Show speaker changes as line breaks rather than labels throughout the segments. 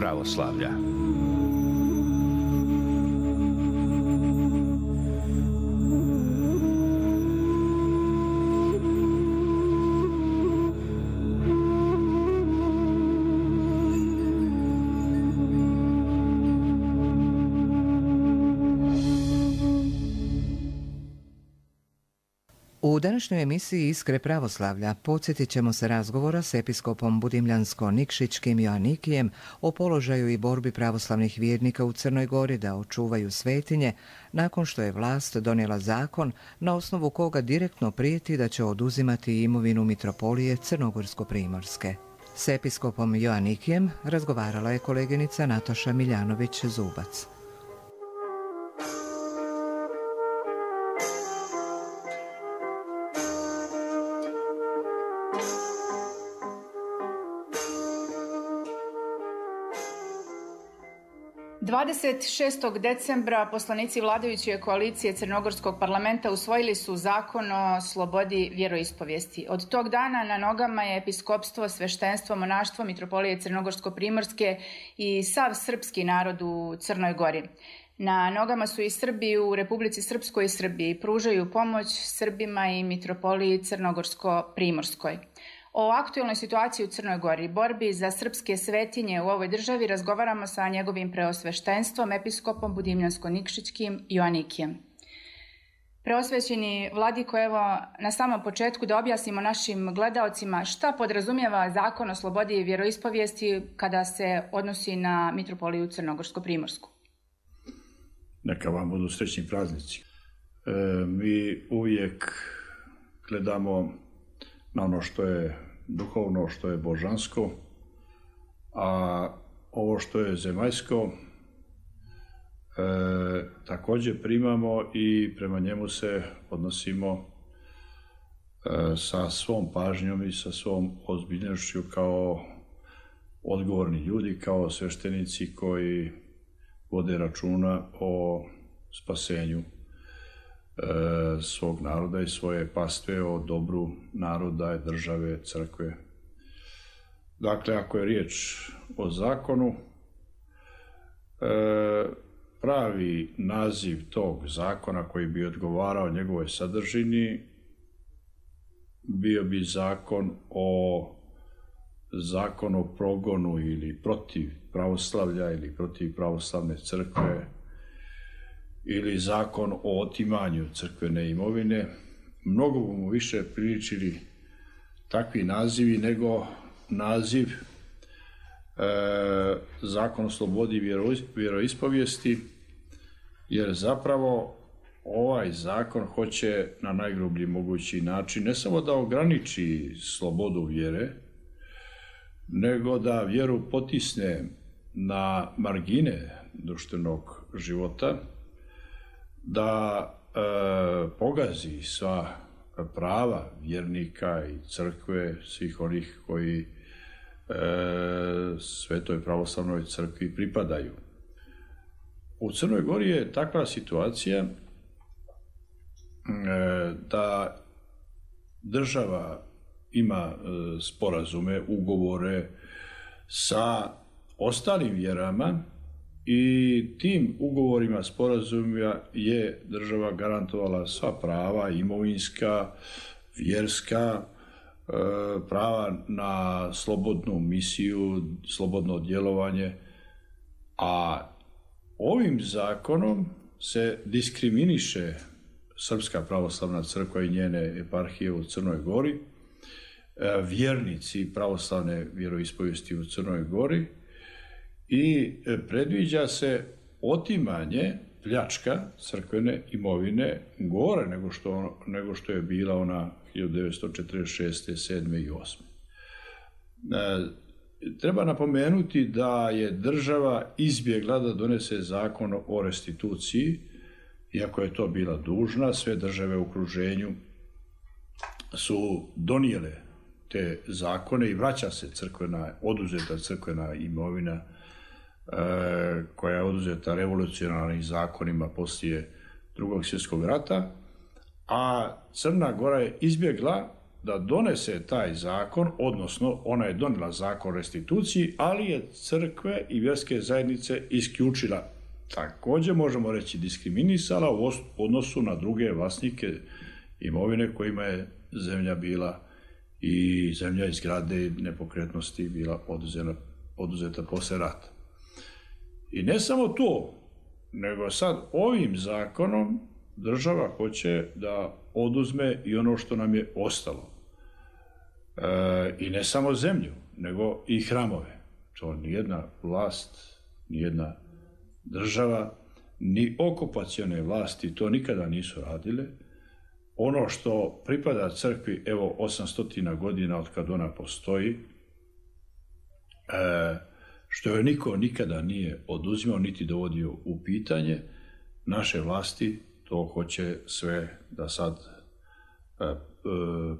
pravoslavlja.
U današnjoj emisiji Iskre pravoslavlja podsjetit ćemo se razgovora s episkopom Budimljansko-Nikšićkim Joanikijem o položaju i borbi pravoslavnih vjernika u Crnoj Gori da očuvaju svetinje nakon što je vlast donijela zakon na osnovu koga direktno prijeti da će oduzimati imovinu mitropolije Crnogorsko-Primorske. S episkopom Joanikijem razgovarala je koleginica Nataša Miljanović-Zubac.
Decembra poslanici vladajuće koalicije Crnogorskog parlamenta usvojili su zakon o slobodi vjeroispovijesti. Od tog dana na nogama je episkopstvo, sveštenstvo, monaštvo mitropolije Crnogorsko-Primorske i sav srpski narod u Crnoj Gori. Na nogama su i Srbi u Republici Srpskoj i Srbiji, pružaju pomoć Srbima i mitropoliji Crnogorsko-Primorskoj. O aktualnoj situaciji u Crnoj Gori, borbi za srpske svetinje u ovoj državi razgovaramo sa njegovim preosveštenstvom, episkopom Budimljansko-Nikšićkim Joanikijem. Preosvećeni vladiko, evo na samom početku da objasnimo našim gledaocima šta podrazumijeva zakon o slobodi vjeroispovijesti kada se odnosi na mitropoliju Crnogorsko-Primorsku.
Neka vam budu srećni praznici. Mi uvijek gledamo na ono što je duhovno, što je božansko, a ovo što je zemaljsko također primamo i prema njemu se odnosimo sa svom pažnjom i sa svom ozbiljnošću kao odgovorni ljudi, kao sveštenici koji vode računa o spasenju svog naroda i svoje pastve, o dobru naroda, države, crkve. Dakle, ako je riječ o zakonu, pravi naziv tog zakona koji bi odgovarao njegovoj sadržini bio bi zakon o progonu ili protiv pravoslavlja ili protiv pravoslavne crkve ili zakon o otimanju crkvene imovine. Mnogo mu više priličili takvi nazivi nego naziv zakon o slobodi vjeroispovijesti, jer zapravo ovaj zakon hoće na najgrublji mogući način ne samo da ograniči slobodu vjere, nego da vjeru potisne na margine društvenog života, da pogazi sva prava vjernika i crkve, svih onih koji Svetoj pravoslavnoj crkvi pripadaju. U Crnoj Gori je takva situacija da država ima sporazume, ugovore sa ostalim vjerama i tim ugovorima, sporazumima je država garantovala sva prava, imovinska, vjerska, prava na slobodnu misiju, slobodno djelovanje, a ovim zakonom se diskriminiše Srpska pravoslavna crkva i njene eparhije u Crnoj Gori, vjernici pravoslavne vjeroispovijesti u Crnoj Gori, i predviđa se otimanje, pljačka crkvene imovine gore nego što je bila ona 1946. 7. i 8. Treba napomenuti da je država izbjegla da donese zakon o restituciji, iako je to bila dužna. Sve države u okruženju su donijele te zakone i vraća se oduzeta crkvena imovina koja je oduzeta revolucionarnim zakonima poslije Drugog svjetskog rata, a Crna Gora je izbjegla da donese taj zakon, odnosno ona je donijela zakon o restituciji, ali je crkve i vjerske zajednice isključila. Također možemo reći diskriminisala u odnosu na druge vlasnike imovine kojima je zemlja bila i zemlja iz zgrade i nepokretnosti bila oduzeta posle rata. I ne samo to, nego sad ovim zakonom država hoće da oduzme i ono što nam je ostalo. I ne samo zemlju, nego i hramove. To nijedna vlast, nijedna država, ni okupacione vlasti to nikada nisu radile. Ono što pripada crkvi, evo 800 godina od kad ona postoji, što joj niko nikada nije oduzimao niti dovodio u pitanje, naše vlasti to hoće sve da sad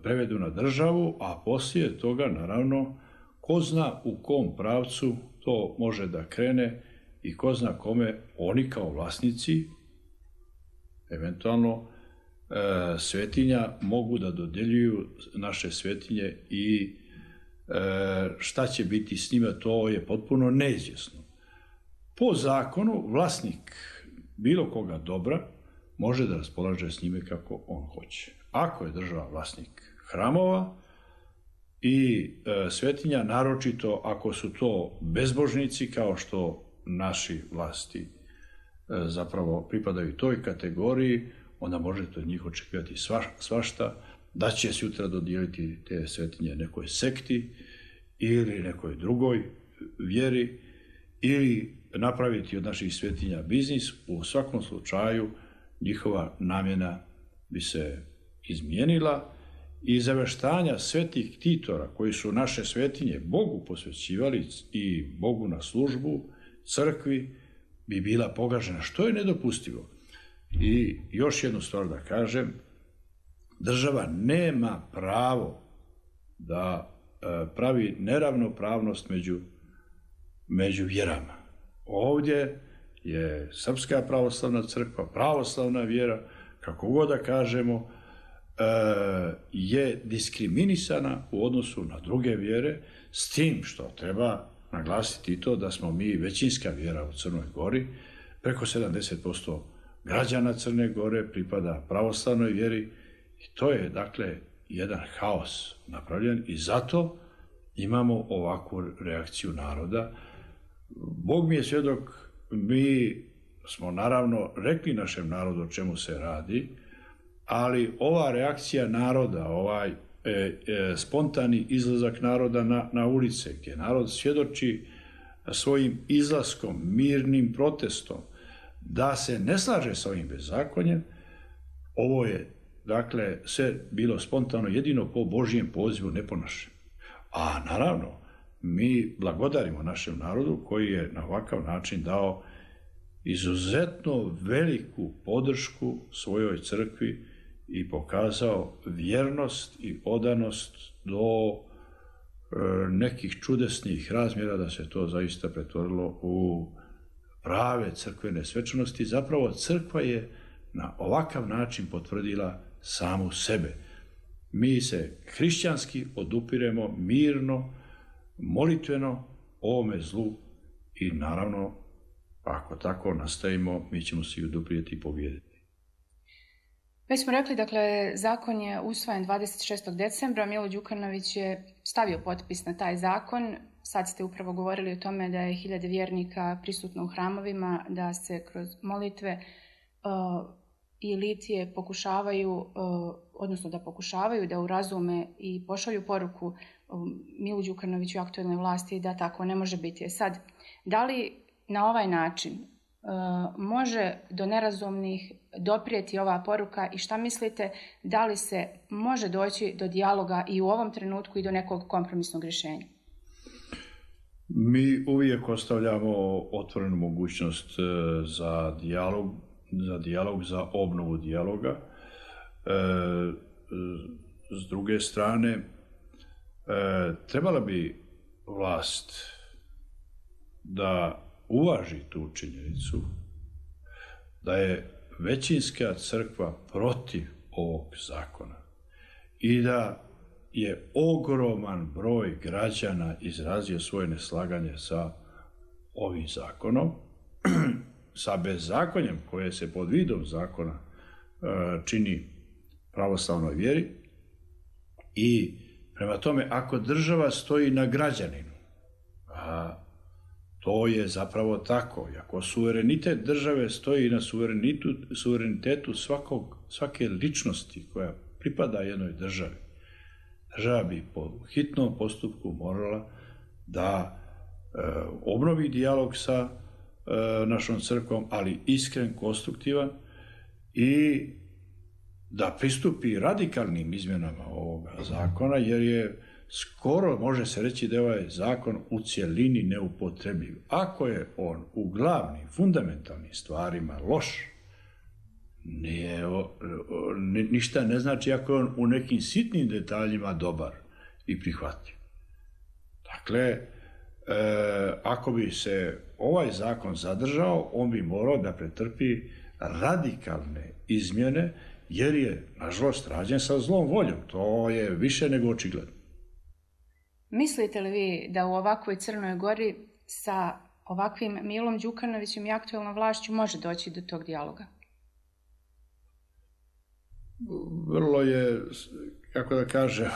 prevedu na državu, a poslije toga, naravno, ko zna u kom pravcu to može da krene i ko zna kome oni kao vlasnici, eventualno svetinja, mogu da dodeljuju naše svetinje i šta će biti s njima, to je potpuno neizvjesno. Po zakonu, vlasnik bilo koga dobra može da raspolaže s njime kako on hoće. Ako je država vlasnik hramova i svetinja, naročito ako su to bezbožnici, kao što naši vlasti zapravo pripadaju toj kategoriji, onda možete od njih očekivati svašta, da će sutra dodijeliti te svetinje nekoj sekti ili nekoj drugoj vjeri ili napraviti od naših svetinja biznis. U svakom slučaju njihova namjena bi se izmijenila i zaveštanja svetih ktitora koji su naše svetinje Bogu posvećivali i Bogu na službu, crkvi, bi bila pogažena, što je nedopustivo. I još jednu stvar da kažem, država nema pravo da pravi neravnopravnost među vjerama. Ovdje je Srpska pravoslavna crkva, pravoslavna vjera, kako god da kažemo, je diskriminisana u odnosu na druge vjere, s tim što treba naglasiti i to da smo mi većinska vjera u Crnoj Gori, preko 70% građana Crne Gore pripada pravoslavnoj vjeri i to je, dakle, jedan haos napravljen i zato imamo ovakvu reakciju naroda. Bog mi je svjedok, mi smo naravno rekli našem narodu o čemu se radi, ali ova reakcija naroda, ovaj spontani izlazak naroda na ulice, gdje narod svjedoči svojim izlaskom, mirnim protestom, da se ne slaže sa ovim bezakonjem, ovo je, dakle, sve bilo spontano jedino po Božjem pozivu, ne po našem. A naravno, mi blagodarimo našem narodu koji je na ovakav način dao izuzetno veliku podršku svojoj crkvi i pokazao vjernost i odanost do nekih čudesnih razmjera da se to zaista pretvorilo u prave crkvene svečanosti. Zapravo crkva je na ovakav način potvrdila samu sebe. Mi se hrišćanski odupiremo mirno, molitveno ovome zlu i naravno, ako tako nastavimo, mi ćemo se i oduprijeti i pobijediti.
Već smo rekli, dakle, zakon je usvojen 26. decembra, Milo Đukanović je stavio potpis na taj zakon. Sad ste upravo govorili o tome da je 1000 vjernika prisutno u hramovima, da se kroz molitve i litije pokušavaju, odnosno da pokušavaju da urazume i pošalju poruku Milu Đukanoviću i aktuelnoj vlasti da tako ne može biti. Sad, da li na ovaj način može do nerazumnih doprijeti ova poruka i šta mislite, da li se može doći do dijaloga i u ovom trenutku i do nekog kompromisnog rješenja?
Mi uvijek ostavljamo otvorenu mogućnost za dijalog, za obnovu dijaloga. S druge strane, trebala bi vlast da uvaži tu činjenicu da je većinska crkva protiv ovog zakona i da je ogroman broj građana izrazio svoje neslaganje sa ovim zakonom, sa bezakonjem koje se pod vidom zakona čini pravoslavnoj vjeri. I prema tome, ako država stoji na građaninu, a to je zapravo tako, i ako suverenitet države stoji na suverenitetu svake ličnosti koja pripada jednoj državi, država bi po hitnom postupku morala da obnovi dijalog sa našom crkvom, ali iskren, konstruktivan, i da pristupi radikalnim izmjenama ovoga zakona, jer je skoro, može se reći da je ovaj zakon u cjelini neupotrebljiv. Ako je on u glavnim, fundamentalnim stvarima loš, ništa ne znači ako je on u nekim sitnim detaljima dobar i prihvatljiv. Dakle, ako bi se ovaj zakon zadržao, on bi morao da pretrpi radikalne izmjene, jer je, nažalost, rađen sa zlom voljom. To je više nego očigledno.
Mislite li vi da u ovakvoj Crnoj Gori sa ovakvim Milom Đukanovićem i aktuelnom vlašću može doći do tog dijaloga?
Vrlo je, kako da kažem,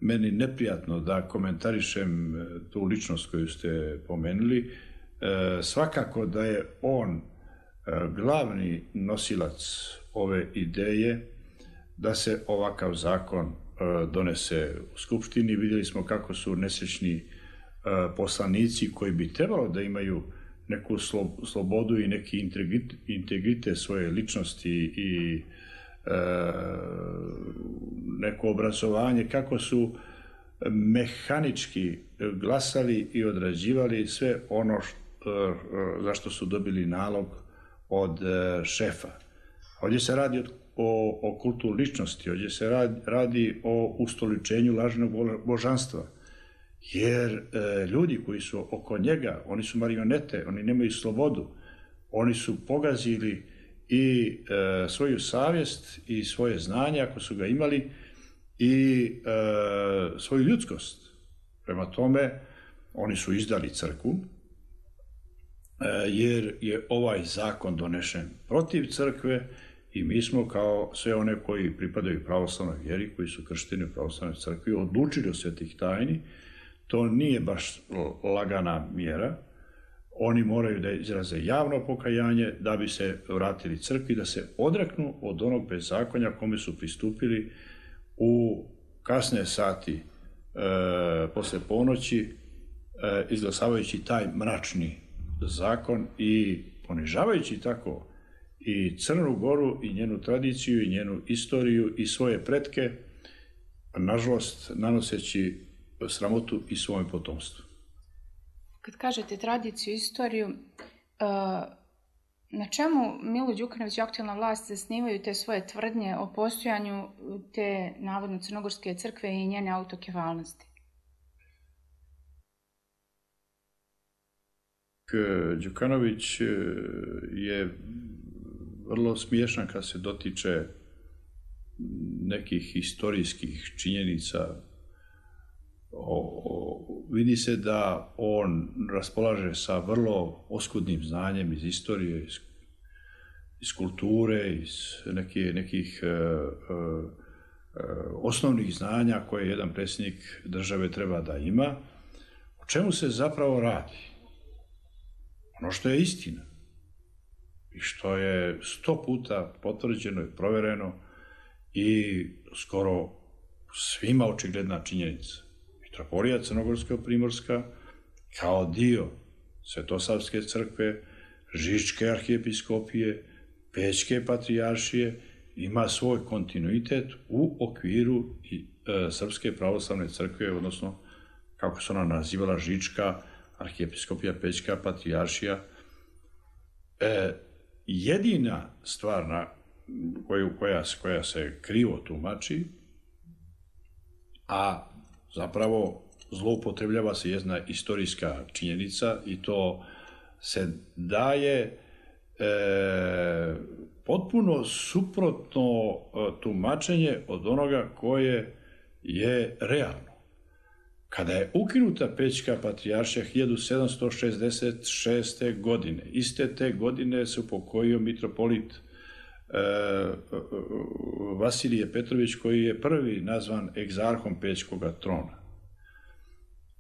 meni neprijatno da komentarišem tu ličnost koju ste pomenuli. Svakako da je on glavni nosilac ove ideje da se ovakav zakon donese u Skupštini. Vidjeli smo kako su nesrećni poslanici koji bi trebalo da imaju neku slobodu i neki integritet svoje ličnosti i neko obrazovanje, kako su mehanički glasali i odrađivali sve ono za što su dobili nalog od šefa. Ovdje se radi o kultu ličnosti, ovdje se radi o ustoličenju lažnog božanstva, jer ljudi koji su oko njega, oni su marionete, oni nemaju slobodu, oni su pogazili i svoju savjest i svoje znanje, ako su ga imali, i svoju ljudskost. Prema tome, oni su izdali crkvu, jer je ovaj zakon donešen protiv crkve i mi smo, kao sve one koji pripadaju pravoslavnoj vjeri, koji su kršteni u pravoslavnoj crkvi, odlučili od svetih tajni. To nije baš lagana mjera. Oni moraju da izraze javno pokajanje da bi se vratili crkvi, da se odreknu od onog bezakonja kome su pristupili u kasne sati posle ponoći, izglasavajući taj mračni zakon i ponižavajući tako i Crnu Goru i njenu tradiciju i njenu istoriju i svoje pretke, nažalost nanoseći sramotu i svojem potomstvu.
Kad kažete tradiciju, istoriju, na čemu Milo Đukanović i aktuelna vlast zasnivaju te svoje tvrdnje o postojanju te navodno crnogorske crkve i njene autokefalnosti?
Đukanović je vrlo smiješan kad se dotiče nekih historijskih činjenica. Vidi se da on raspolaže sa vrlo oskudnim znanjem iz istorije, iz kulture, iz nekih osnovnih znanja koje jedan predsjednik države treba da ima. O čemu se zapravo radi? Ono što je istina i što je 100 puta potvrđeno i provereno i skoro svima očigledna činjenica. Mitropolija Crnogorsko-primorska kao dio Svetosavske crkve, Žičke arhijepiskopije, Pećke patrijaršije ima svoj kontinuitet u okviru Srpske pravoslavne crkve, odnosno kako se ona nazivala, Žička arhijepiskopija, Pećka patrijaršija. Jedina stvar koja se krivo tumači, a zapravo zloupotrebljava se jedna istorijska činjenica i to se daje potpuno suprotno tumačenje od onoga koje je realno. Kada je ukinuta Pećka patrijaršija 1766. godine, iste te godine se upokojio mitropolit Vasilije Petrović, koji je prvi nazvan egzarhom Pećkoga trona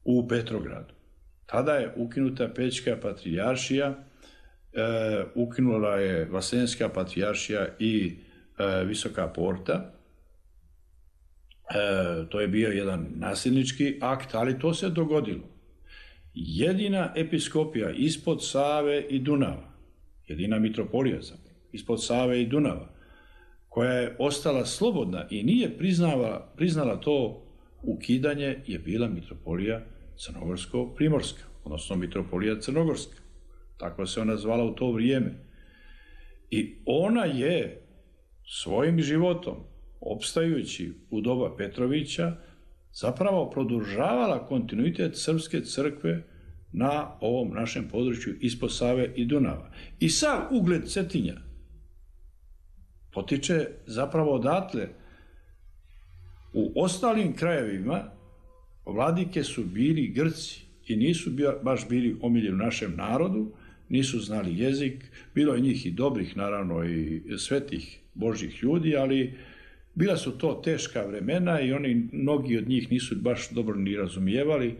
u Petrogradu. Tada je ukinuta Pećka patrijaršija, ukinula je Vaseljenska patrijaršija i Visoka porta. To je bio jedan nasilnički akt, ali to se dogodilo. Jedina episkopija ispod Save i Dunava, jedina mitropolija ispod Save i Dunava, koja je ostala slobodna i nije priznala to ukidanje, je bila mitropolija Crnogorsko-primorska, odnosno mitropolija Crnogorska. Tako se ona zvala u to vrijeme. I ona je svojim životom, opstajući u doba Petrovića, zapravo produžavala kontinuitet srpske crkve na ovom našem području ispod Save i Dunava. I sav ugled Cetinja potiče zapravo odatle. U ostalim krajevima vladike su bili Grci i nisu baš bili omiljeni u našem narodu, nisu znali jezik, bilo je njih i dobrih, naravno, i svetih Božjih ljudi, ali bila su to teška vremena i mnogi od njih nisu baš dobro ni razumijevali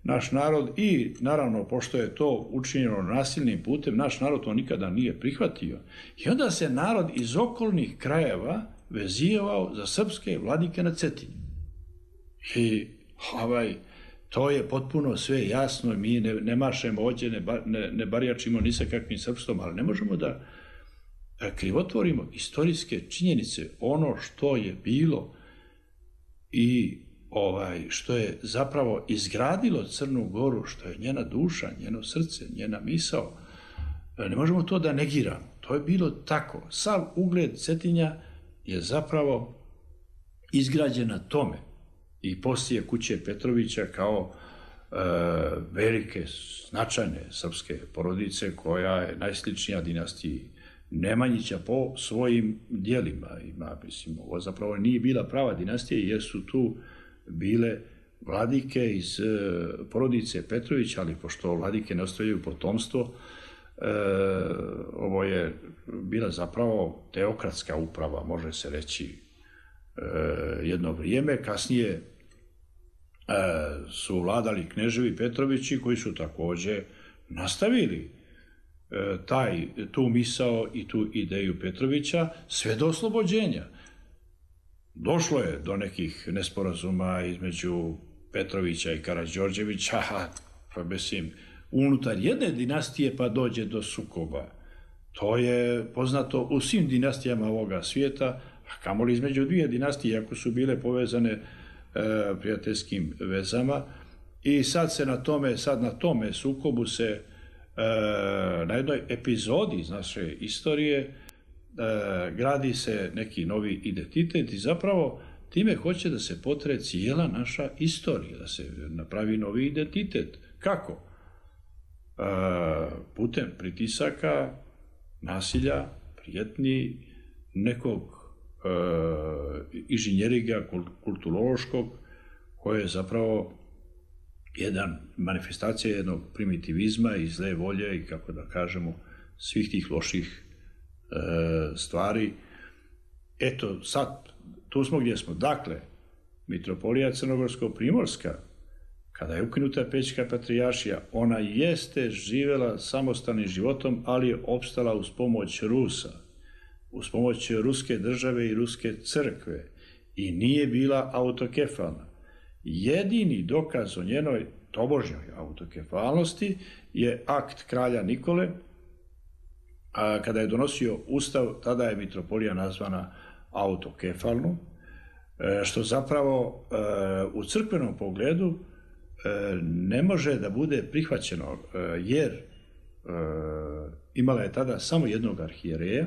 naš narod i, naravno, pošto je to učinjeno nasilnim putem, naš narod to nikada nije prihvatio. I onda se narod iz okolnih krajeva vezivao za srpske vladike na Cetinju. I to je potpuno sve jasno, mi ne mašemo ovdje, ne barjačimo ni sa kakvim srpstvom, ali ne možemo da krivotvorimo istorijske činjenice, ono što je bilo i što je zapravo izgradilo Crnu Goru, što je njena duša, njeno srce, njena misao. Ne možemo to da negiramo. To je bilo tako. Sav ugled Cetinja je zapravo izgrađen na tome. I poslije kuće Petrovića kao velike, značajne srpske porodice, koja je najsličnija dinastiji Nemanjića po svojim djelima. Ovo zapravo nije bila prava dinastija, jer su tu bile vladike iz porodice Petrović, ali pošto vladike ne ostavljaju potomstvo, ovo je bila zapravo teokratska uprava, može se reći, jedno vrijeme. Kasnije su vladali kneževi Petrovići, koji su također nastavili tu misao i tu ideju Petrovića sve do oslobođenja. Došlo je do nekih nesporazuma između Petrovića i Karađorđevića, pa mislim, unutar jedne dinastije pa dođe do sukoba. To je poznato u svim dinastijama ovoga svijeta, a kamoli između dvije dinastije, ako su bile povezane prijateljskim vezama. I sad na tome sukobu se na jednoj epizodi iz naše istorije gradi se neki novi identitet i zapravo time hoće da se potre cijela naša istorija, da se napravi novi identitet. Kako? Putem pritisaka, nasilja, prijetnji, nekog inženjeriga kulturološkog, koje je zapravo jedan manifestacija jednog primitivizma i zle volje i, kako da kažemo, svih tih loših stvari. Eto, sad, tu smo gdje smo. Dakle, mitropolija Crnogorsko-primorska, kada je ukinuta Pećka patrijaršija, ona jeste živjela samostalnim životom, ali je opstala uz pomoć Rusa, uz pomoć ruske države i ruske crkve i nije bila autokefalna. Jedini dokaz o njenoj tobožnjoj autokefalnosti je akt kralja Nikole, a kada je donosio ustav, tada je mitropolija nazvana autokefalnom, što zapravo u crkvenom pogledu ne može da bude prihvaćeno, jer imala je tada samo jednog arhijereja,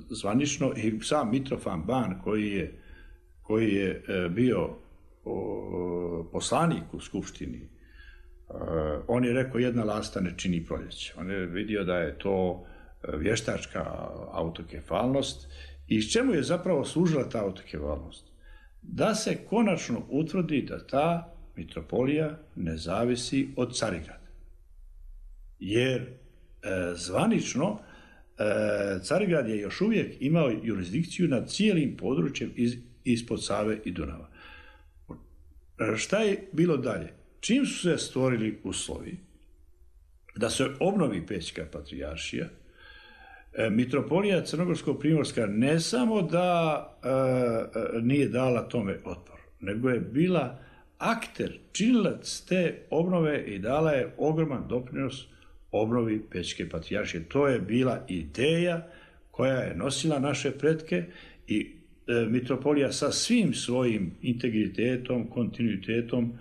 zvanično, i sam Mitrofan Ban, koji je bio poslanik u skupštini, on je rekao jedna lasta ne čini proljeće. On je vidio da je to vještačka autokefalnost. I čemu je zapravo služila ta autokefalnost? Da se konačno utvrdi da ta mitropolija ne zavisi od Carigrada. Jer zvanično Carigrad je još uvijek imao jurisdikciju nad cijelim područjem ispod Save i Dunava. Šta je bilo dalje? Čim su se stvorili uslovi da se obnovi Pećka patrijaršija, mitropolija Crnogorsko-primorska ne samo da nije dala tome otpor, nego je bila akter, činilac te obnove i dala je ogroman doprinos obnovi Pećke patrijaršije. To je bila ideja koja je nosila naše pretke i mitropolija sa svim svojim integritetom, kontinuitetom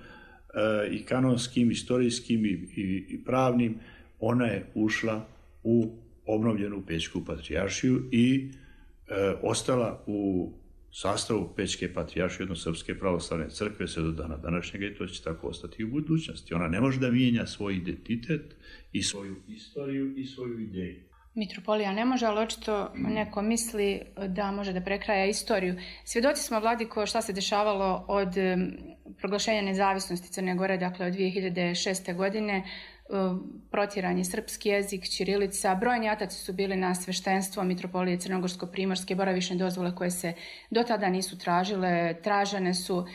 i kanonskim, istorijskim i pravnim, ona je ušla u obnovljenu Pećku patrijaršiju i ostala u sastavu Pećke patrijaršije, odnosno Srpske pravoslavne crkve, sve do dana današnjega, i to će tako ostati u budućnosti. Ona ne može da mijenja svoj identitet i svoju istoriju i svoju ideju.
Mitropolija ne može, ali očito neko misli da može da prekraja istoriju. Svjedoci smo, Vladiko, šta se dešavalo od proglašenja nezavisnosti Crne Gore, dakle od 2006. godine, protjeran je srpski jezik, ćirilica, brojni ataci su bili na sveštenstvo mitropolije Crnogorsko-primorske, boravišne dozvole koje se do tada nisu tražile, tražene su.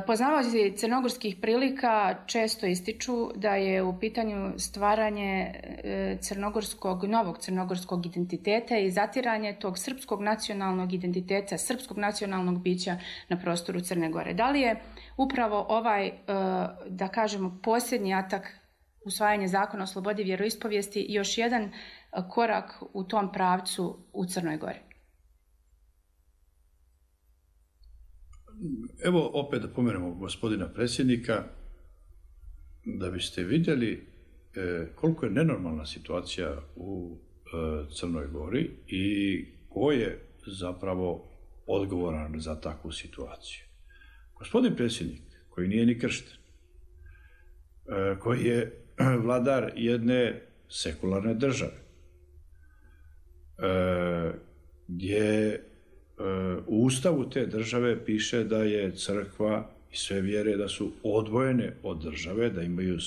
Poznavaoci crnogorskih prilika često ističu da je u pitanju stvaranje novog crnogorskog identiteta i zatiranje tog srpskog nacionalnog identiteta, srpskog nacionalnog bića na prostoru Crne Gore. Da li je upravo ovaj, da kažemo, posljednji atak, usvajanje zakona o slobodi vjeroispovijesti, još jedan korak u tom pravcu u Crnoj Gori?
Evo opet da pomenemo gospodina predsjednika, da biste vidjeli koliko je nenormalna situacija u Crnoj Gori i ko je zapravo odgovoran za takvu situaciju. Gospodin predsjednik, koji nije ni kršten, koji je vladar jedne sekularne države, gdje u ustavu te države piše da je crkva i sve vjere da su odvojene od države, da imaju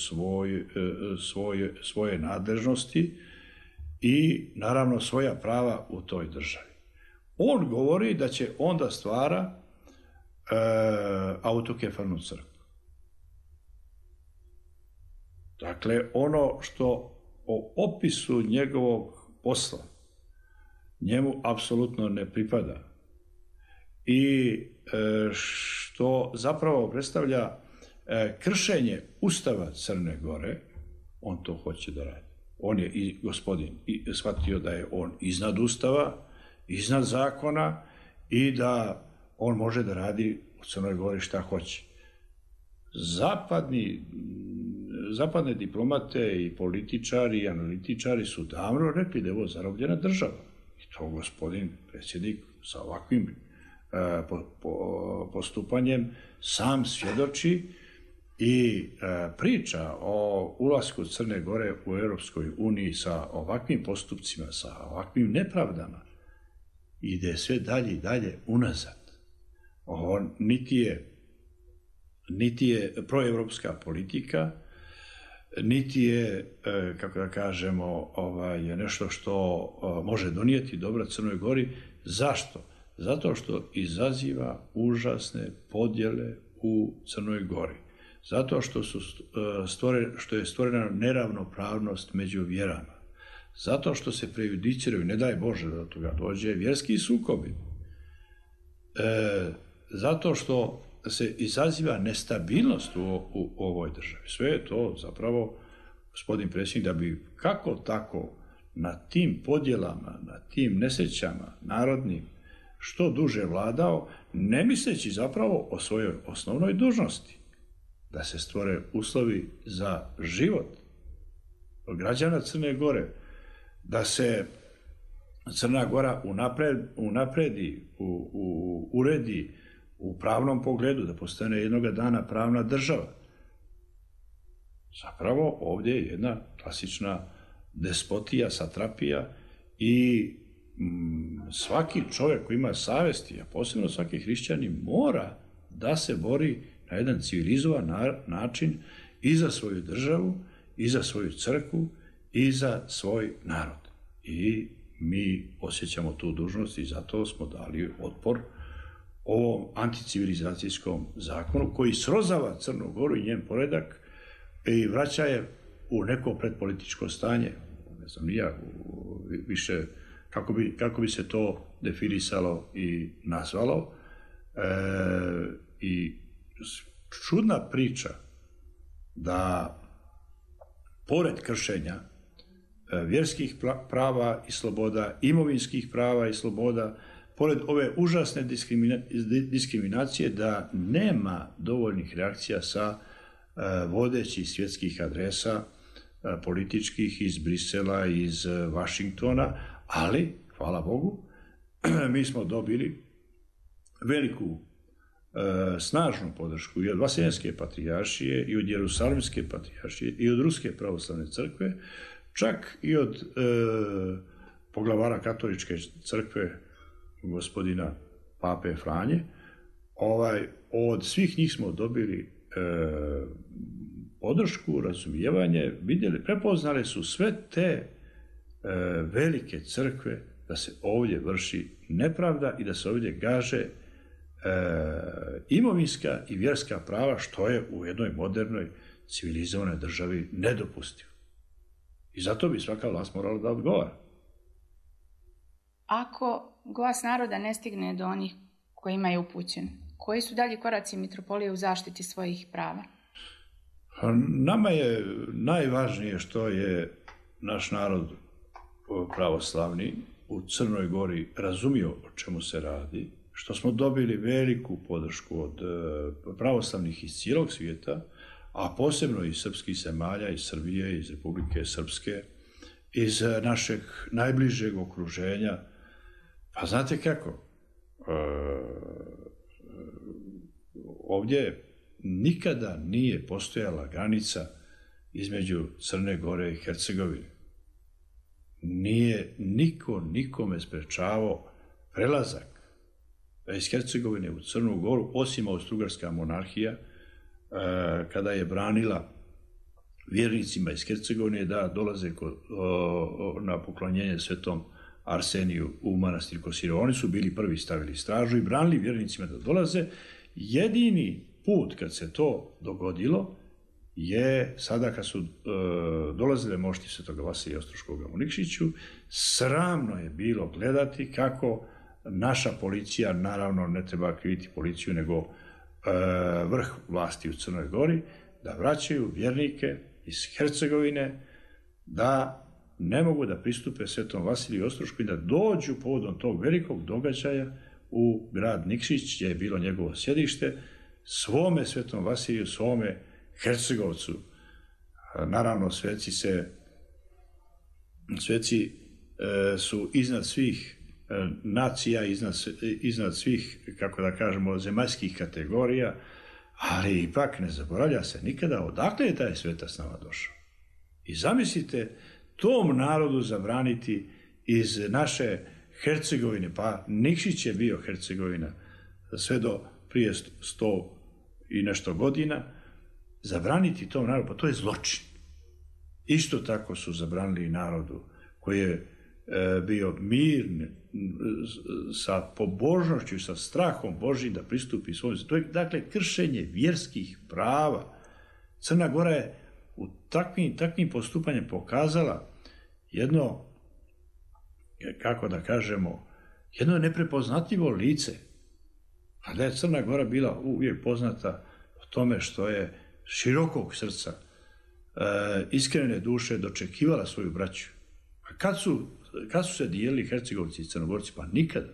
svoje nadležnosti i naravno svoja prava u toj državi. On govori da će onda stvara autokefalnu crkvu. Dakle, ono što o opisu njegovog posla njemu apsolutno ne pripada i što zapravo predstavlja kršenje Ustava Crne Gore, on to hoće da radi. On je i gospodin shvatio da je on iznad Ustava, iznad zakona i da on može da radi u Crnoj Gori šta hoće. Zapadne diplomate i političari i analitičari su davno rekli da je ovo zarobljena država. I to gospodin predsjednik sa ovakvim postupanjem sam svjedoči i priča o ulasku Crne Gore u Europskoj uniji sa ovakvim postupcima, sa ovakvim nepravdama, ide sve dalje i dalje unazad. Ovo niti je proevropska politika, niti je, kako da kažemo, nešto što može donijeti dobra Crnoj Gori. Zašto? Zato što izaziva užasne podjele u Crnoj Gori. Zato što je stvorena neravnopravnost među vjerama. Zato što se prejudiciraju, ne daj Bože da do toga dođe, vjerski sukobi. Zato što se izaziva nestabilnost u ovoj državi. Sve je to zapravo, gospodin predsjednik, da bi kako tako na tim podjelama, na tim nesrećama narodnim što duže vladao, ne misleći zapravo o svojoj osnovnoj dužnosti, da se stvore uslovi za život građana Crne Gore, da se Crna Gora unapredi, uredi u pravnom pogledu, da postane jednoga dana pravna država. Zapravo ovdje je jedna klasična despotija, satrapija i svaki čovjek koji ima savjesti, a posebno svaki hrišćanin, mora da se bori na jedan civilizovan način i za svoju državu, i za svoju crkvu, i za svoj narod. I mi osjećamo tu dužnost i zato smo dali otpor ovom anticivilizacijskom zakonu koji srozava Crnu Goru i njen poredak i vraća je u neko predpolitičko stanje. Ne znam, nija više kako bi se to definisalo i nazvalo. I čudna priča da pored kršenja vjerskih prava i sloboda, imovinskih prava i sloboda, pored ove užasne diskriminacije, da nema dovoljnih reakcija sa vodećih svjetskih adresa političkih iz Brisela, iz Vašingtona, ali, hvala Bogu, mi smo dobili veliku, snažnu podršku i od Vaseljenske patrijaršije, i od Jerusalimske patrijaršije, i od Ruske pravoslavne crkve, čak i od poglavara katoličke crkve, gospodina Pape Franje. Od svih njih smo dobili podršku, razumijevanje, vidjeli, prepoznali su sve te velike crkve da se ovdje vrši nepravda i da se ovdje gaže imovinska i vjerska prava, što je u jednoj modernoj civilizovanoj državi nedopustivo. I zato bi svaka vlast morala da odgovara.
Ako glas naroda ne stigne do onih kojima je upućen, koji su dalji koraci mitropolije u zaštiti svojih prava?
Nama je najvažnije što je naš narod pravoslavni u Crnoj Gori razumio o čemu se radi, što smo dobili veliku podršku od pravoslavnih iz cijelog svijeta, a posebno iz srpskih zemalja, iz Srbije, iz Republike Srpske, iz našeg najbližeg okruženja. Pa znate kako, ovdje nikada nije postojala granica između Crne Gore i Hercegovine. Nije niko nikome sprečavao prelazak iz Hercegovine u Crnu Goru, osim Austrougarska monarhija, kada je branila vjernicima iz Hercegovine da dolaze na poklonjenje svetom Arseniju u manastir Kosirevo. Oni su bili prvi, stavili stražu i branili vjernicima da dolaze. Jedini put kad se to dogodilo je sada kad su dolazile mošti svetoga Vasilija Ostroškoga u Nikšiću. Sramno je bilo gledati kako naša policija, naravno ne treba kriviti policiju, nego vrh vlasti u Crnoj Gori, da vraćaju vjernike iz Hercegovine, da ne mogu da pristupe svetom Vasiliju Ostrošku i da dođu povodom tog velikog događaja u grad Nikšić, gdje je bilo njegovo sjedište, svome svetom Vasiliju, svome Hercegovcu. Naravno, sveci su iznad svih nacija, iznad svih, kako da kažemo, zemaljskih kategorija, ali ipak ne zaboravlja se nikada odakle je taj svetac nama došao. I zamislite tom narodu zabraniti iz naše Hercegovine, pa Nikšić je bio Hercegovina sve do prije 100 i nešto godina, zabraniti tom narodu, pa to je zločin. Isto tako su zabranili narodu koji je bio mirn, sa pobožnošću, sa strahom Božjim da pristupi svojom. To je, dakle, kršenje vjerskih prava. Crna Gora je u takvim postupanjem pokazala jedno, kako da kažemo, jedno neprepoznatljivo lice. A da je Crna Gora bila uvijek poznata o tome što je širokog srca, iskrene duše dočekivala svoju braću. A kad su se dijelili Hercegovci i Crnogorci? Pa nikada.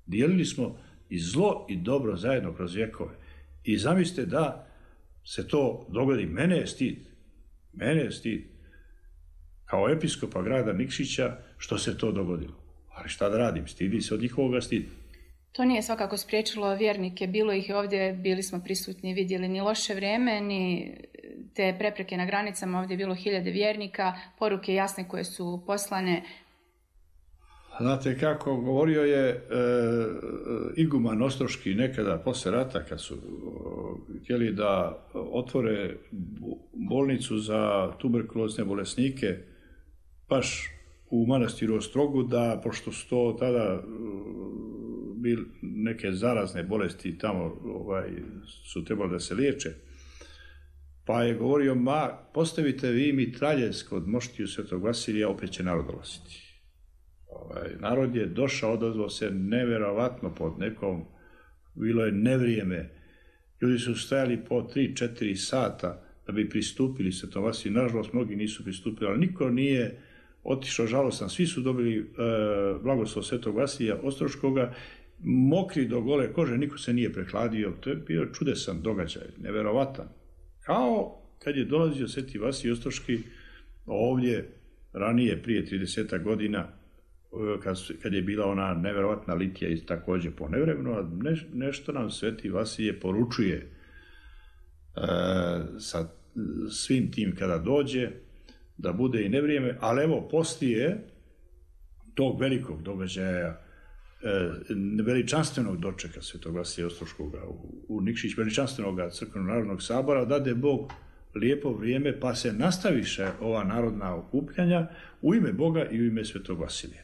Dijelili smo i zlo i dobro zajedno kroz vjekove. I zamislite da se to dogodi. Mene je stid kao episkopa grada Nikšića što se to dogodilo. Ali šta da radim? Stidi se od njihovoga stida.
To nije svakako spriječilo vjernike. Bilo ih ovdje, bili smo prisutni, vidjeli ni loše vrijeme, ni te prepreke na granicama. Ovdje je bilo 1000 vjernika, poruke jasne koje su poslane.
Znate kako, govorio je iguman ostroški nekada posle rata, kad su htjeli da otvore bolnicu za tuberkulozne bolesnike, baš u manastiru Ostrogu, da, pošto su to tada bili neke zarazne bolesti tamo su trebali da se liječe, pa je govorio, postavite vi mitraljez kod moštiju Svetog Vasilija, opet će narod dolaziti. Narod je došao, odazvao se neverovatno pod nekom, bilo je nevrijeme, ljudi su stajali po 3-4 sata da bi pristupili Svetom Vasiliju, nažalost mnogi nisu pristupili, ali niko nije otišao žalostan, svi su dobili blagoslov Svetog Vasilija Ostroškoga, mokri do gole kože, niko se nije prehladio, to je bio čudesan događaj, neverovatan. Kao kad je dolazio Sveti Vasilij Ostroški ovdje ranije, prije 30 godina, kad je bila ona neverovatna litija i također po nevremenu, a nešto nam Sveti Vasilije poručuje sa svim tim kada dođe, da bude i nevrijeme, ali evo, poslije tog velikog događaja, veličanstvenog dočeka Svetog Vasilija Ostroškoga u Nikšić, veličanstvenog crkveno-narodnog sabora, dade Bog lijepo vrijeme, pa se nastaviše ova narodna okupljanja u ime Boga i u ime Svetog Vasilija.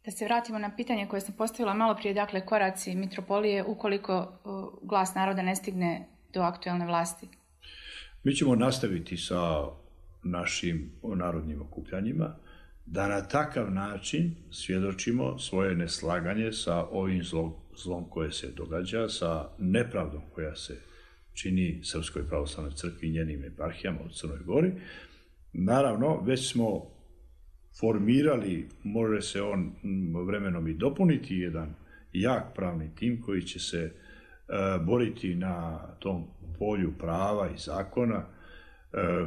Da se vratimo na pitanje koje sam postavila malo prije, dakle, koraci mitropolije ukoliko glas naroda ne stigne do aktuelne vlasti.
Mi ćemo nastaviti sa našim narodnim okupljanjima, da na takav način svjedočimo svoje neslaganje sa ovim zlom koje se događa, sa nepravdom koja se čini Srpskoj pravoslavnoj crkvi i njenim eparhijama u Crnoj Gori. Naravno, već smo formirali, može se on vremenom i dopuniti, jedan jak pravni tim koji će se boriti na tom polju prava i zakona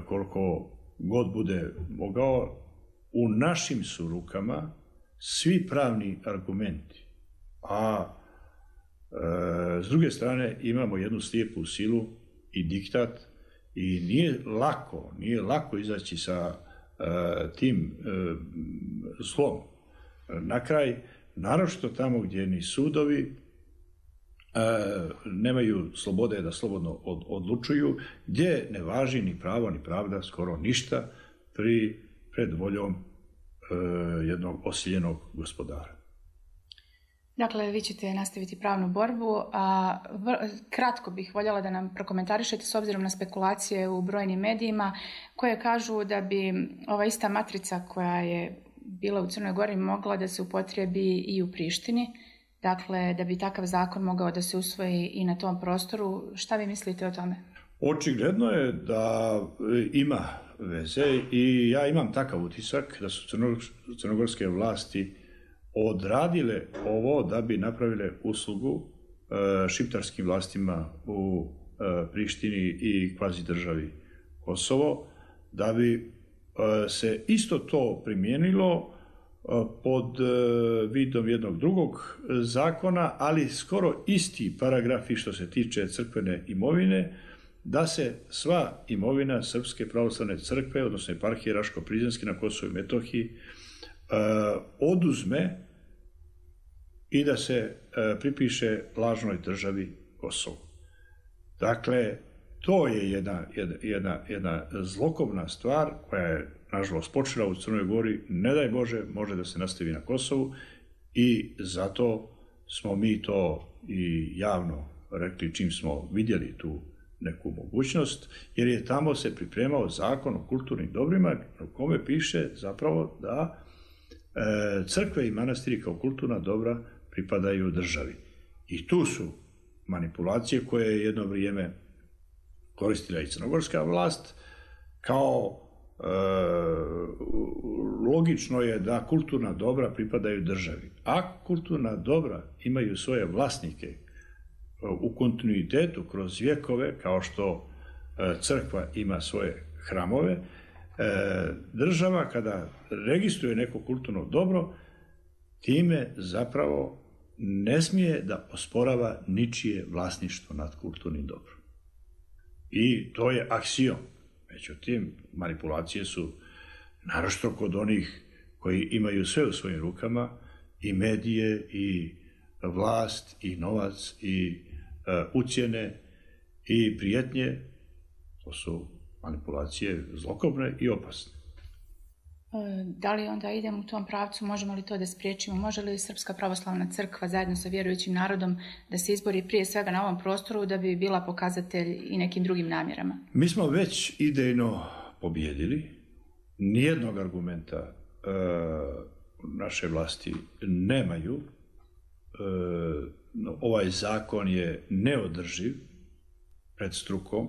koliko god bude mogao. U našim su rukama svi pravni argumenti, a s druge strane imamo jednu slijepu silu i diktat i nije lako izaći sa tim zlom. Na kraj, naročito tamo gdje ni sudovi nemaju slobode da slobodno odlučuju, gdje ne važi ni pravo ni pravda, skoro ništa pred voljom jednog osiljenog gospodara.
Dakle, vi ćete nastaviti pravnu borbu, a kratko bih voljela da nam prokomentarišete s obzirom na spekulacije u brojnim medijima koje kažu da bi ova ista matrica koja je bila u Crnoj Gori mogla da se upotrijebi i u Prištini, dakle da bi takav zakon mogao da se usvoji i na tom prostoru. Šta vi mislite o tome?
Očigledno je da ima veze i ja imam takav utisak da su crnogorske vlasti odradile ovo da bi napravile uslugu šiptarskim vlastima u Prištini i kvazi državi Kosovo, da bi se isto to primijenilo pod vidom jednog drugog zakona, ali skoro isti paragrafi što se tiče crkvene imovine, da se sva imovina Srpske pravoslavne crkve, odnosno eparhije Raško-Prizrenske na Kosovu i Metohiji, oduzme i da se pripiše lažnoj državi Kosovo. Dakle, to je jedna zlokobna stvar koja je, nažalost, počela u Crnoj Gori, ne daj Bože, može da se nastavi na Kosovu i zato smo mi to i javno rekli čim smo vidjeli tu neku mogućnost, jer je tamo se pripremao zakon o kulturnim dobrima u kome piše zapravo da crkve i manastiri kao kulturna dobra pripadaju državi. I tu su manipulacije koje je jedno vrijeme koristila i crnogorska vlast, kao logično je da kulturna dobra pripadaju državi. A kulturna dobra imaju svoje vlasnike u kontinuitetu kroz vjekove, kao što crkva ima svoje hramove, država kada registruje neko kulturno dobro, time zapravo ne smije da osporava ničije vlasništvo nad kulturnim dobrom. I to je aksiom. Međutim, manipulacije su naročito kod onih koji imaju sve u svojim rukama, i medije, i vlast, i novac, i ucjene, i prijetnje. To su manipulacije zlokobne i opasne.
Da li onda idemo u tom pravcu, možemo li to da spriječimo? Može li Srpska pravoslavna crkva zajedno sa vjerujućim narodom da se izbori prije svega na ovom prostoru da bi bila pokazatelj i nekim drugim namjerama?
Mi smo već idejno pobjedili. Nijednog argumenta naše vlasti nemaju. Ovaj zakon je neodrživ pred strukom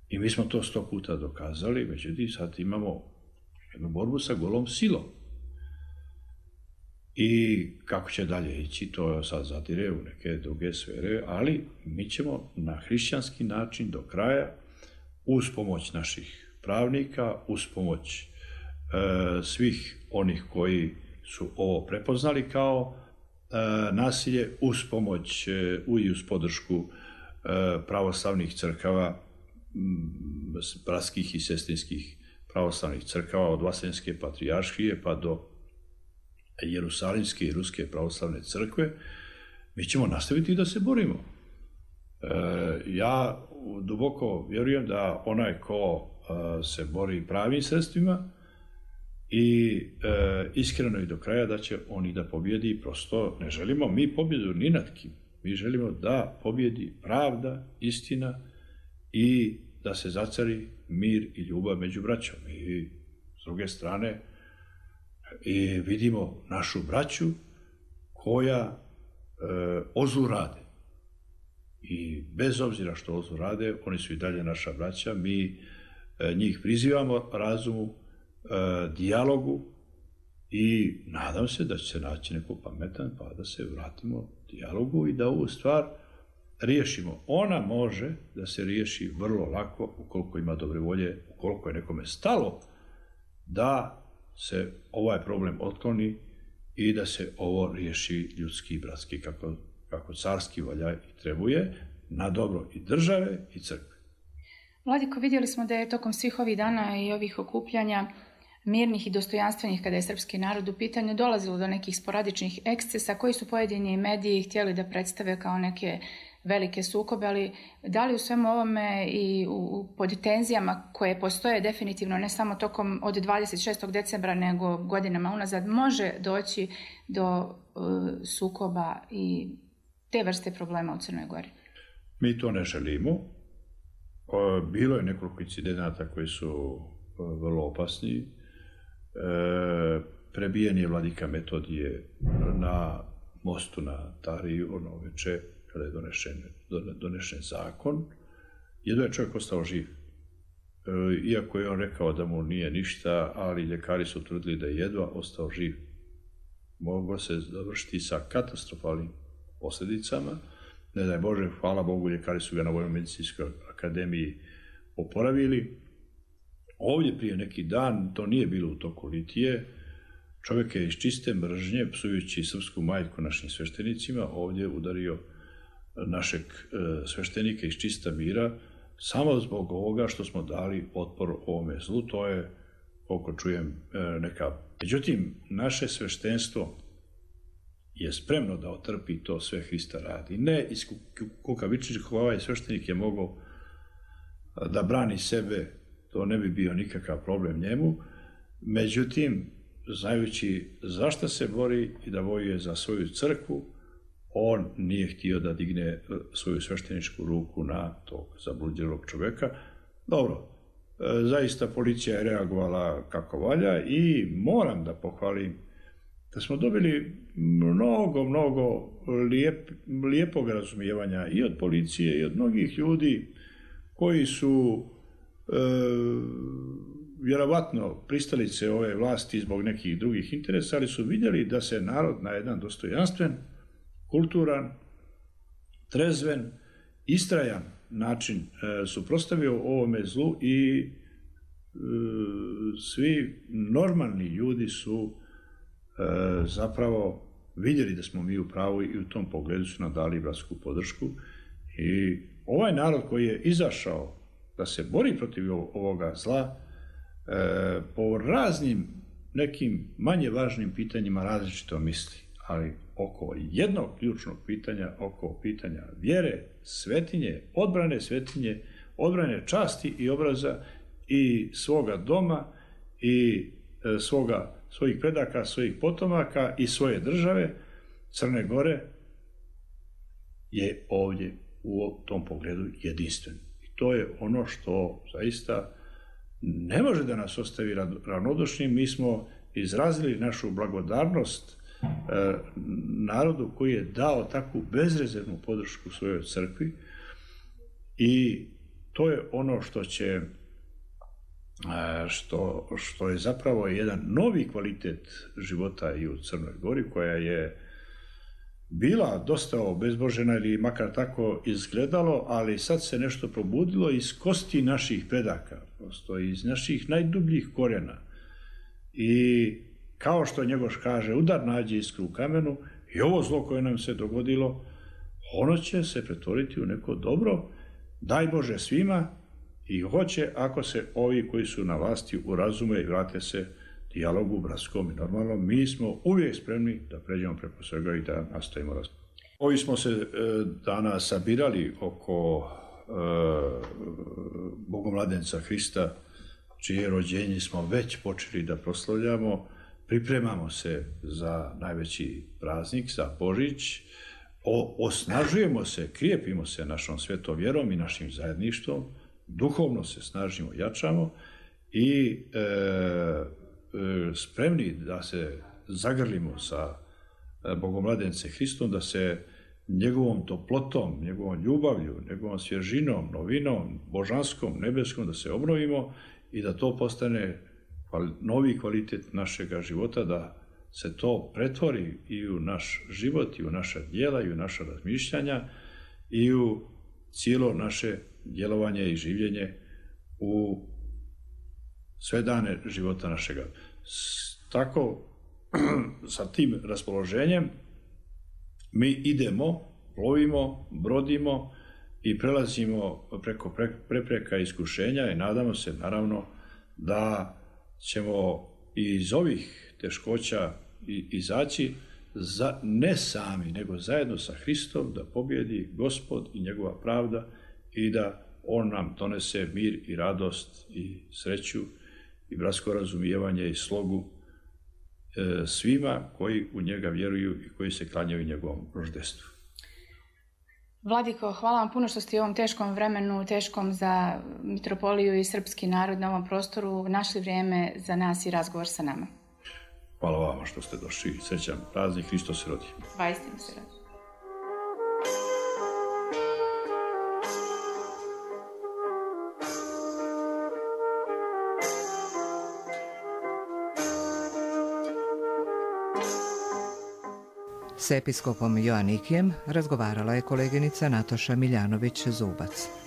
i mi smo to 100 puta dokazali, međutim sad imamo jednu borbu sa golom silom. I kako će dalje ići, to sad zadire u neke druge sfere, ali mi ćemo na hrišćanski način do kraja, uz pomoć naših pravnika, uz pomoć svih onih koji su ovo prepoznali kao nasilje, uz pomoć i uz podršku pravoslavnih crkava, bratskih i sestrinskih pravoslavnih crkava, od Vaseljenske patrijaršije pa do Jerusalimske i Ruske pravoslavne crkve, mi ćemo nastaviti da se borimo. Ja duboko vjerujem da onaj ko se bori pravim sredstvima i iskreno i do kraja da će on i da pobjedi. Prosto ne želimo mi pobjedu ni nad kim. Mi želimo da pobjedi pravda, istina i da se zacari mir i ljubav među braćom. I s druge strane vidimo našu braću koja ozlu rade. I bez obzira što ozlu rade, oni su i dalje naša braća. Mi njih prizivamo razumu, dijalogu i nadam se da će se naći neko pametan pa da se vratimo dijalogu i da ovu stvar riješimo. Ona može da se riješi vrlo lako ukoliko ima dobre volje, ukoliko je nekome stalo da se ovaj problem otkloni i da se ovo riješi ljudski i bratski kako carski valja i trebuje na dobro i države i crkve.
Vladiko, vidjeli smo da je tokom svih ovih dana i ovih okupljanja mirnih i dostojanstvenih kada je srpski narod u pitanju dolazilo do nekih sporadičnih ekscesa koji su pojedini mediji htjeli da predstave kao neke velike sukobe, ali da li u svemu ovome i pod tenzijama koje postoje definitivno ne samo tokom od 26. decembra nego godinama unazad može doći do sukoba i te vrste problema u Crnoj Gori?
Mi to ne želimo. Bilo je nekoliko incidenata koji su vrlo opasni. Prebijen je vladika Metodije na mostu na Tariju ono veče kada je donešen zakon. Jedno je čovjek ostao živ. Iako je on rekao da mu nije ništa, ali ljekari su utvrdili da je jedva ostao živ. Moglo se završiti sa katastrofalnim posljedicama. Ne daj Bože, hvala Bogu, ljekari su ga na Vojno-medicinskoj akademiji oporavili. Ovdje prije neki dan, to nije bilo u toku litije, čovjek je iz čiste mržnje, psujući srpsku majku našim sveštenicima, ovdje udario našeg sveštenika iz čista mira, samo zbog ovoga što smo dali otpor ovome zlu. To je, koliko čujem, neka... Međutim, naše sveštenstvo je spremno da otrpi to sve Hrista radi. Ne iz kukavičnih, ovaj sveštenik je mogao da brani sebe, to ne bi bio nikakav problem njemu. Međutim, znajući zašto se bori i da vojuje za svoju crkvu, on nije htio da digne svoju svešteničku ruku na tog zabludjelog čovjeka. Dobro, zaista policija je reagovala kako valja i moram da pohvalim da smo dobili mnogo lijepog razumijevanja i od policije i od mnogih ljudi koji su vjerovatno pristalice ove vlasti zbog nekih drugih interesa, ali su vidjeli da se narod na jedan dostojanstven, kulturan, trezven, istrajan način suprotstavio ovome zlu i svi normalni ljudi su zapravo vidjeli da smo mi u pravu i u tom pogledu su nam dali bratsku podršku. I ovaj narod koji je izašao da se bori protiv ovoga zla, po raznim nekim manje važnim pitanjima različito misli. ali oko jednog ključnog pitanja, oko pitanja vjere, svetinje, odbrane časti i obraza i svoga doma i svojih predaka, svojih potomaka i svoje države, Crne Gore je ovdje u tom pogledu jedinstven. I to je ono što zaista ne može da nas ostavi ravnodušnim. Mi smo izrazili našu blagodarnost narodu koji je dao takvu bezrezervnu podršku svojoj crkvi i to je ono što je zapravo jedan novi kvalitet života i u Crnoj Gori, koja je bila dosta obezbožena ili makar tako izgledalo, ali sad se nešto probudilo iz kosti naših predaka, prosto iz naših najdubljih korijena. I kao što Njegoš kaže, udar nađe iskru u kamenu, i ovo zlo koje nam se dogodilo, ono će se pretvoriti u neko dobro, daj Bože svima, i hoće ako se ovi koji su na vlasti urazume i vrate se dijalogu bratskom i normalno. Mi smo uvijek spremni da pređemo preko svega i da nastavimo razgovor. Ovi smo se danas sabirali oko Bogomladenca Hrista, čije rođenje smo već počeli da proslavljamo. Pripremamo se za najveći praznik, za Božić. Osnažujemo se, krijepimo se našom svetom vjerom i našim zajedništvom. Duhovno se snažimo, jačamo i spremni da se zagrlimo sa Bogomladencem Hristom, da se njegovom toplotom, njegovom ljubavlju, njegovom svježinom, novinom, božanskom, nebeskom, da se obnovimo i da to postane novi kvalitet našega života, da se to pretvori i u naš život, i u naša djela, i u naša razmišljanja, i u cijelo naše djelovanje i življenje u sve dane života našega. Tako, sa tim raspoloženjem, mi idemo, plovimo, brodimo i prelazimo preko prepreka iskušenja i nadamo se, naravno, da ćemo iz ovih teškoća izaći ne sami, nego zajedno sa Hristom, da pobjedi Gospod i njegova pravda i da on nam donese mir i radost i sreću i bratsko razumijevanje i slogu svima koji u njega vjeruju i koji se klanjaju njegovom roždestvu.
Vladiko, hvala vam puno što ste u ovom teškom vremenu, teškom za mitropoliju i srpski narod na ovom prostoru, našli vrijeme za nas i razgovor sa nama.
Hvala vama što ste došli. Srećan praznik, Hristos se rodi.
Vaistinu se rodi.
S episkopom Joanikijem razgovarala je koleginica Nataša Miljanović-Zubac.